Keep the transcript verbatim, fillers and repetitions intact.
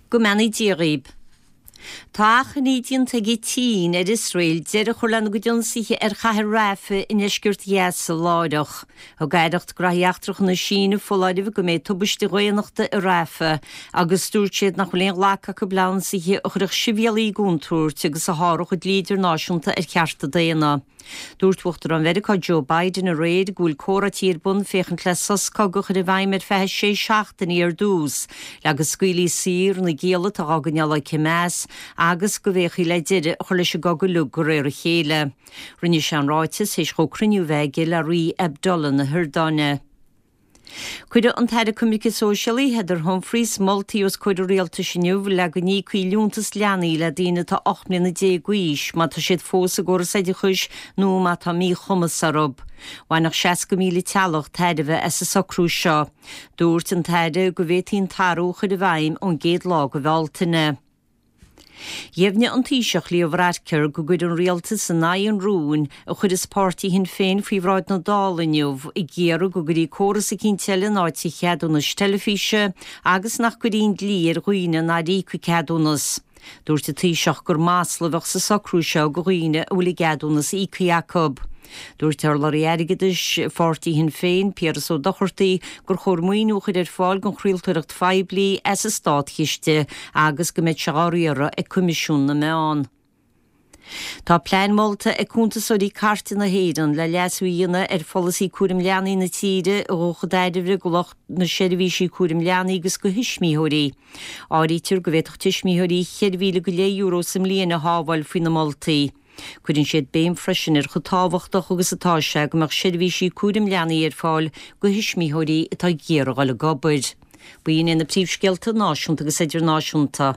Go mbeannaí Dia dhaoib. Tá achainí déanta ag an tSín ar Iosrael deireadh a chur lena gcuid ionsaithe ar chathair Rafah i ndeisceart Ghaza láithreach. Thug Aireacht Gnóthaí Eachtracha na Síne foláireamh go mbeidh tubaiste dhaonnachta i Rafah agus dúirt siad nach bhfuil aon ghlacadh acu le hionsaithe a chuirfeadh sibhialaigh i gcontúirt agus a sháródh an dlí idirnáisiúnta ar chearta daonna. Dúirt Uachtarán Mheiriceá Joe Biden aréir go bhfuil comhráití ar bun féachaint le sos cogaidh a chur i bhfeidhm ar feadh sé seachtainí ar dtús, le go scaoilfí saor na gialla atá á gcoinneáil ag Hamas agus go bhféachfaí le deireadh a chur leis an gcogadh uilig de réir a chéile. Rinne sé an ráiteas théis dhó cruinniú a bheith aige le Rí Abdullah na hIordáine. Cuirfidh an tAire Coimirce Sóisialaí Heather Humphreys moltaí os comhair an rialtais inniu le go n-íocfaí liúntas leanaí le daoine atá ocht mbliana déag d'aois má tá siad fós i gcóras oideachais nó má tá míchumas orthu. Bhainfeadh seasca míle teaghlach tairbhe as an socrú seo. Dúirt an tAire go bhféadfaí an t-athrú a chur i bhfeidhm ón gcéad lá de Bhealtaine. Dheimhnigh an Taoiseach Leo Varadkar go gcuirfidh an rialtas in aghaidh an rúin a chuirfeas páirtí Shinn Féin faoi bhráid na Dála inniu ag iarraidh go gcuirfí córas eicínt eile in áit an cheadúnais teilifíse agus nach gcuirfí an dlí ar dhaoine nár íoc an ceadúnas. Dúirt an Taoiseach gur masla a bheadh sa socrú seo do dhaoine a bhfuil a gceadúnas íoctha acu. Dúirt urlabhraí airgeadais pháirtí Shinn Féin, Piaras Ó Dochartaigh, gur chóir maoiniú a chur ar fáil don chraoltóireacht phoiblí as an státchiste agus go mbeadh sé á riaradh ag Coimisiún na Meán. Tá plean molta ag Cuntasóirí Cairte na hÉireann le leasú a dhéanamh ar pholasaí cúraim leanaí na tíre a ghabhfadh chun tairbhe do lucht na seirbhísí cúraim leanaí agus do thuismitheoirí. Áirítear go bhféadfadh tuismitheoirí ceithre mhíle go leith euro sa mbliain a shábháil faoi na moltaí. Cuireann siad béim freisin ar chomh tábhachtach agus atá sé go mbeadh seirbhísí cúraim leanaí ar fáil do thuismitheoirí atá ag iarraidh dul ag obair. B'in iad na príomhscéalta náisiúnta agus idirnáisiúnta.